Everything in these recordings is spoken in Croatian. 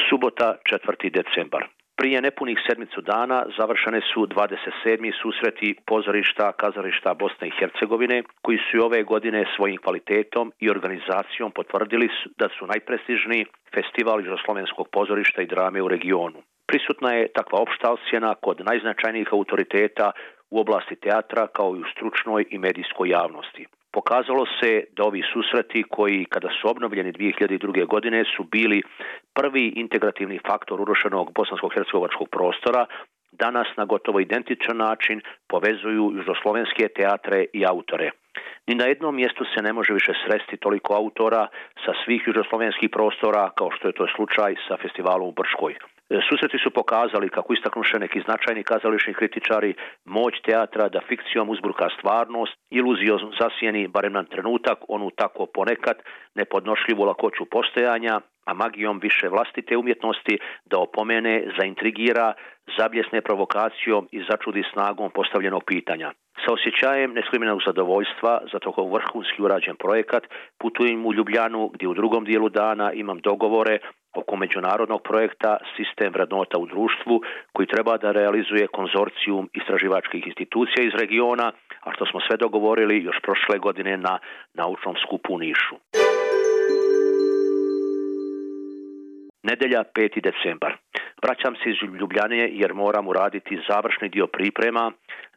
Subota, 4. decembar. Prije nepunih sedmicu dana završene su 27. susreti pozorišta, kazališta Bosne i Hercegovine, koji su i ove godine svojim kvalitetom i organizacijom potvrdili da su najprestižniji festival južnoslovenskog pozorišta i drame u regionu. Prisutna je takva opšta ocjena kod najznačajnijih autoriteta u oblasti teatra kao i u stručnoj i medijskoj javnosti. Pokazalo se da ovi susreti koji, kada su obnovljeni 2002. godine, su bili prvi integrativni faktor urušenog bosansko-hercegovačkog prostora, danas na gotovo identičan način povezuju južnoslovenske teatre i autore. Ni na jednom mjestu se ne može više sresti toliko autora sa svih južnoslovenskih prostora kao što je to slučaj sa festivalom u Brčkoj. Susreti su pokazali, kako istaknuše neki značajni kazališni kritičari, moć teatra da fikcijom uzburka stvarnost, iluzijom zasjeni, barem na trenutak, onu tako ponekad nepodnošljivu lakoću postojanja, a magijom više vlastite umjetnosti da opomene, zaintrigira, zabljesne provokacijom i začudi snagom postavljenog pitanja. Sa osjećajem neskrimenog zadovoljstva za toko vrhunski urađen projekat putujem u Ljubljanu, gdje u drugom dijelu dana imam dogovore oko međunarodnog projekta Sistem vrednota u društvu, koji treba da realizuje konzorcijum istraživačkih institucija iz regiona, a što smo sve dogovorili još prošle godine na naučnom skupu u Nišu. Nedelja, 5. decembar. Vraćam se iz Ljubljane jer moram uraditi završni dio priprema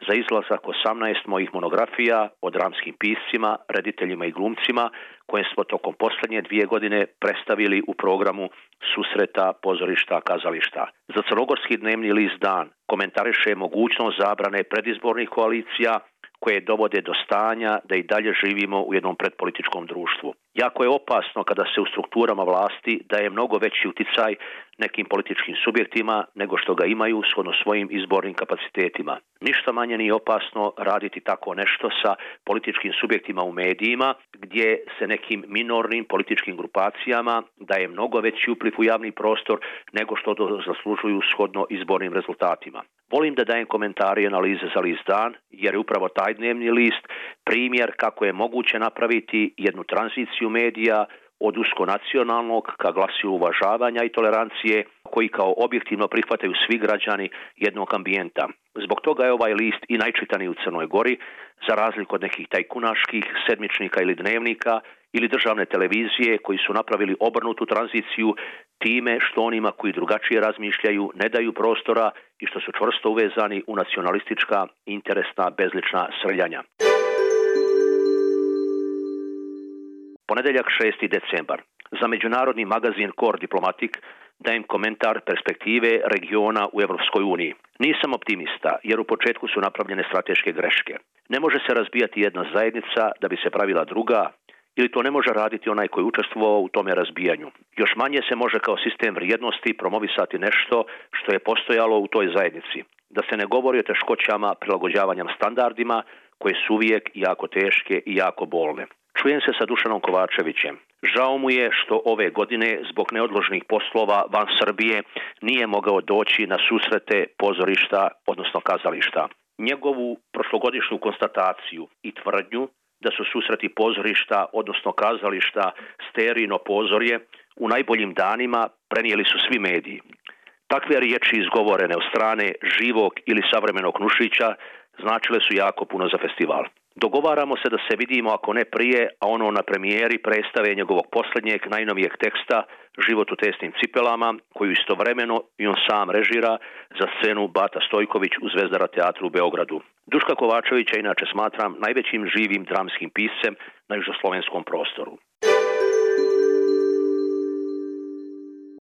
za izlazak 18 mojih monografija o dramskim piscima, rediteljima i glumcima koje smo tokom posljednje 2 godine predstavili u programu susreta, pozorišta, kazališta. Za crnogorski dnevni list Dan komentariše mogućnost zabrane predizbornih koalicija koje dovode do stanja da i dalje živimo u jednom predpolitičkom društvu. Jako je opasno kada se u strukturama vlasti daje mnogo veći uticaj nekim političkim subjektima nego što ga imaju shodno svojim izbornim kapacitetima. Ništa manje nije opasno raditi tako nešto sa političkim subjektima u medijima, gdje se nekim minornim političkim grupacijama daje mnogo veći upliv u javni prostor nego što to zaslužuju shodno izbornim rezultatima. Volim da dajem komentare i analize za list Dan, jer je upravo taj dnevni list primjer kako je moguće napraviti jednu tranziciju medija od uskonacionalnog ka glasu uvažavanja i tolerancije, koji kao objektivno prihvataju svi građani jednog ambijenta. Zbog toga je ovaj list i najčitaniji u Crnoj Gori, za razliku od nekih tajkunaških sedmičnika ili dnevnika ili državne televizije koji su napravili obrnutu tranziciju time što onima koji drugačije razmišljaju ne daju prostora i što su čvrsto uvezani u nacionalistička, interesna, bezlična srljanja. Ponedeljak, 6. decembar. Za međunarodni magazin Core Diplomatic dajem komentar perspektive regiona u Europskoj uniji. Nisam optimista, jer u početku su napravljene strateške greške. Ne može se razbijati jedna zajednica da bi se pravila druga, ili to ne može raditi onaj koji učestvovao u tome razbijanju. Još manje se može kao sistem vrijednosti promovisati nešto što je postojalo u toj zajednici. Da se ne govori o teškoćama prilagođavanjem standardima koje su uvijek jako teške i jako bolne. Čujem se sa Dušanom Kovačevićem. Žao mu je što ove godine zbog neodloženih poslova van Srbije nije mogao doći na susrete pozorišta, odnosno kazališta. Njegovu prošlogodišnju konstataciju i tvrdnju da su susreti pozorišta, odnosno kazališta, sterijno pozorje, u najboljim danima prenijeli su svi mediji. Takve riječi izgovorene od strane živog ili savremenog Nušića značile su jako puno za festival. Dogovaramo se da se vidimo, ako ne prije, a ono na premijeri predstave njegovog posljednjeg, najnovijeg teksta Život u tesnim cipelama, koju istovremeno i on sam režira za scenu Bata Stojković u Zvezdara teatru u Beogradu. Duška Kovačevića inače smatram najvećim živim dramskim piscem na južnoslovenskom prostoru.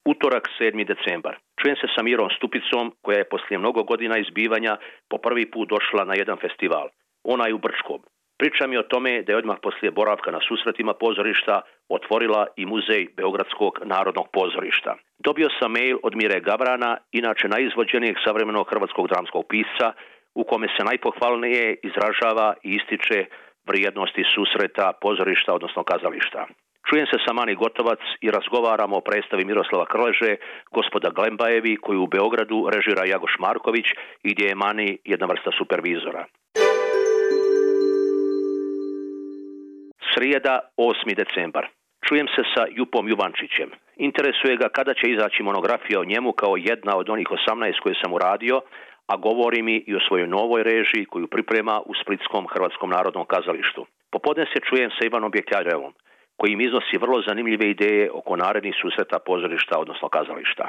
Utorak, 7. decembar. Čujem se sa Mirom Stupicom, koja je poslije mnogo godina izbivanja po prvi put došla na jedan festival. Ona je u Brčkom. Priča mi o tome da je odmah poslije boravka na susretima pozorišta otvorila i muzej Beogradskog narodnog pozorišta. Dobio sam mail od Mire Gavrana, inače najizvođenijeg savremenog hrvatskog dramskog pisca, u kome se najpohvalnije izražava i ističe vrijednosti susreta pozorišta, odnosno kazališta. Čujem se sa Mani Gotovac i razgovaramo o predstavi Miroslava Krleže, Gospoda Glembajevi, koju u Beogradu režira Jagoš Marković i gdje je Mani jedna vrsta supervizora. Srijeda, 8. decembar. Čujem se sa Jupom Juvančićem. Interesuje ga kada će izaći monografija o njemu kao jedna od onih 18 koje sam uradio, a govori mi i o svojoj novoj režiji koju priprema u Splitskom Hrvatskom narodnom kazalištu. Popodne se čujem sa Ivanom Bjekljarevom, koji im iznosi vrlo zanimljive ideje oko narednih susreta pozorišta, odnosno kazališta.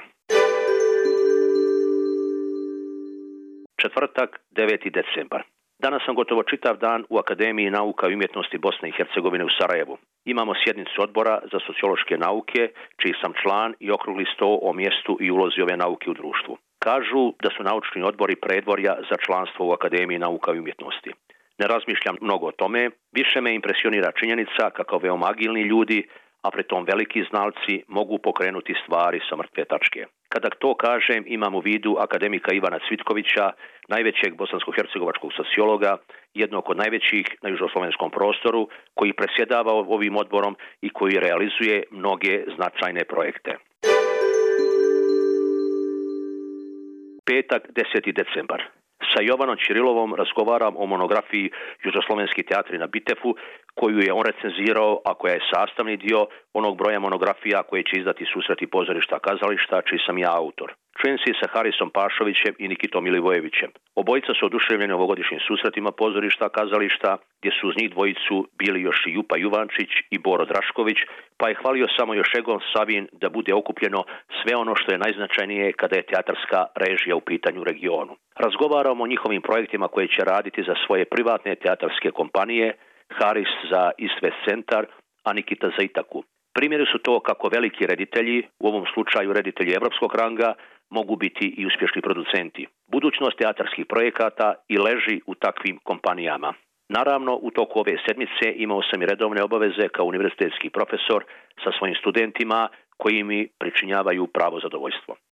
Četvrtak, 9. decembar. Danas sam gotovo čitav dan u Akademiji nauka i umjetnosti Bosne i Hercegovine u Sarajevu. Imamo sjednicu odbora za sociološke nauke, čiji sam član, i okrugli sto o mjestu i ulozi ove nauke u društvu. Kažu da su naučni odbori predvorja za članstvo u Akademiji nauka i umjetnosti. Ne razmišljam mnogo o tome, više me impresionira činjenica kako veoma agilni ljudi, a pritom veliki znalci, mogu pokrenuti stvari sa mrtve tačke. Kada to kažem, imam u vidu akademika Ivana Cvitkovića, najvećeg bosansko-hercegovačkog sociologa, jednog od najvećih na južnoslovenskom prostoru, koji predsjedava ovim odborom i koji realizuje mnoge značajne projekte. Petak, 10. decembar. Sa Jovanom Ćirilovom razgovaram o monografiji Južnoslovenski teatri na Bitefu, koju je on recenzirao, a koja je sastavni dio onog broja monografija koje će izdati Susreti pozorišta kazališta, čiji sam ja autor. Čujem se sa Harisom Pašovićem i Nikitom Milivojevićem. Obojica su oduševljeni ovogodišnjim susretima pozorišta kazališta, gdje su uz njih dvojicu bili još i Jupa Juvančić i Boro Drašković, pa je hvalio samo još Egon Savin da bude okupljeno sve ono što je najznačajnije kada je teatarska režija u pitanju u regionu. Razgovaramo o njihovim projektima koje će raditi za svoje privatne teatarske kompanije, Haris za East West Centar, a Nikita za Itaku. Primjeri su to kako veliki reditelji, u ovom slučaju reditelji evropskog ranga, mogu biti i uspješni producenti. Budućnost teatarskih projekata i leži u takvim kompanijama. Naravno, u toku ove sedmice imao sam i redovne obaveze kao univerzitetski profesor sa svojim studentima koji mi pričinjavaju pravo zadovoljstvo.